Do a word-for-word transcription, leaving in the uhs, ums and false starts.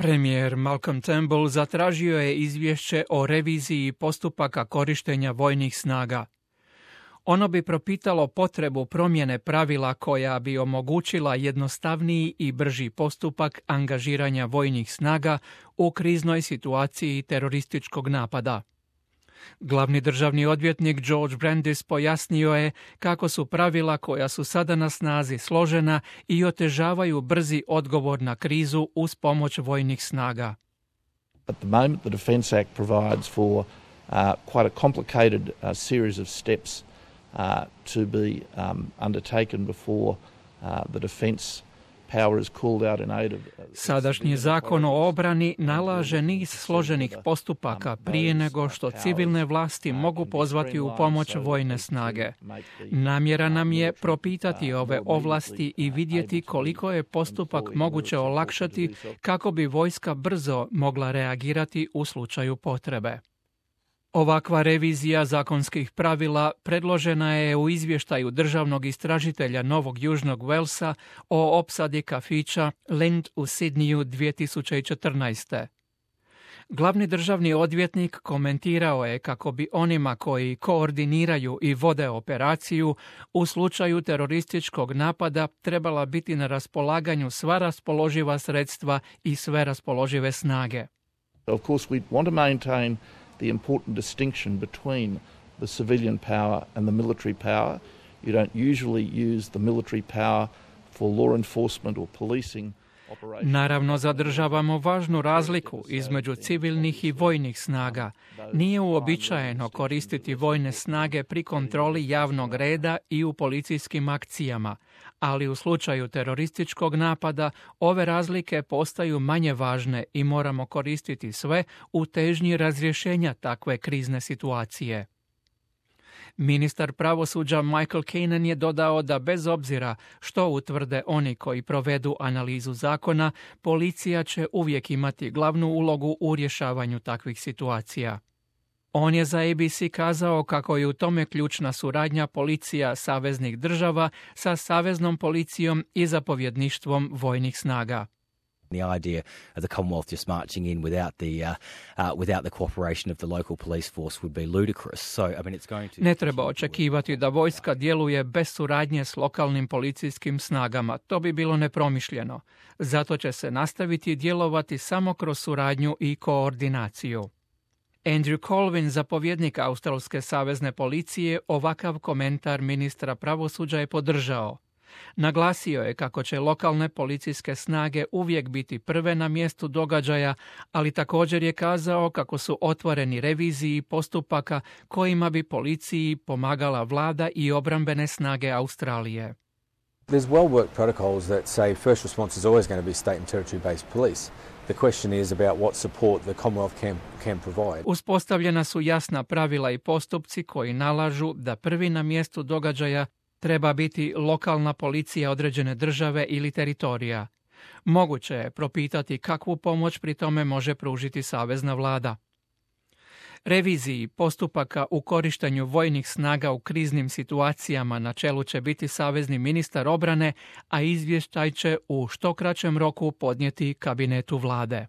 Premijer Malcolm Turnbull zatražio je izvješće o reviziji postupaka korištenja vojnih snaga. Ono bi propitalo potrebu promjene pravila koja bi omogućila jednostavniji i brži postupak angažiranja vojnih snaga u kriznoj situaciji terorističkog napada. Glavni državni odvjetnik George Brandis pojasnio je kako su pravila koja su sada na snazi složena i otežavaju brzi odgovor na krizu uz pomoć vojnih snaga. At the moment, the Defence Act provides for uh, quite a complicated uh, series of steps uh, to be um, undertaken before uh, the defence power is called out in aid of. Sadašnji zakon o obrani nalaže niz složenih postupaka prije nego što civilne vlasti mogu pozvati u pomoć vojne snage. Namjera nam je propitati ove ovlasti i vidjeti koliko je postupak moguće olakšati kako bi vojska brzo mogla reagirati u slučaju potrebe. Ovakva revizija zakonskih pravila predložena je u izvještaju državnog istražitelja Novog Južnog Walesa o opsadi kafića Lind u Sidneyu dvije tisuće četrnaeste. Glavni državni odvjetnik komentirao je kako bi onima koji koordiniraju i vode operaciju u slučaju terorističkog napada trebala biti na raspolaganju sva raspoloživa sredstva i sve raspoložive snage. Of course, we want to maintain the important distinction between the civilian power and the military power. You don't usually use the military power for law enforcement or policing. Naravno, zadržavamo važnu razliku između civilnih i vojnih snaga. Nije uobičajeno koristiti vojne snage pri kontroli javnog reda i u policijskim akcijama, ali u slučaju terorističkog napada ove razlike postaju manje važne i moramo koristiti sve u težnji razrješenja takve krizne situacije. Ministar pravosuđa Michael Keenan je dodao da bez obzira što utvrde oni koji provedu analizu zakona, policija će uvijek imati glavnu ulogu u rješavanju takvih situacija. On je za A B C kazao kako je u tome ključna suradnja policija saveznih država sa saveznom policijom i zapovjedništvom vojnih snaga. The idea of the Commonwealth just marching in without the uh, uh, without the cooperation of the local police force would be ludicrous. So I mean it's going to Ne treba očekivati da vojska djeluje bez suradnje s lokalnim policijskim snagama. To bi bilo nepromišljeno. Zato će se nastaviti djelovati samo kroz suradnju i koordinaciju. Andrew Colvin, zapovjednik Australske savezne policije, ovakav komentar ministra pravosuđa je podržao. Naglasio je kako će lokalne policijske snage uvijek biti prve na mjestu događaja, ali također je kazao kako su otvoreni reviziji postupaka kojima bi policiji pomagala vlada i obrambene snage Australije. There's well-worked protocols that say first response is always going to be state and territory-based police. The question is about what support the Commonwealth can, can provide. Uspostavljena su jasna pravila i postupci koji nalažu da prvi na mjestu događaja treba biti lokalna policija određene države ili teritorija. Moguće je propitati kakvu pomoć pri tome može pružiti savezna vlada. Reviziji postupaka u korištenju vojnih snaga u kriznim situacijama na čelu će biti savezni ministar obrane, a izvještaj će u što kraćem roku podnijeti kabinetu vlade.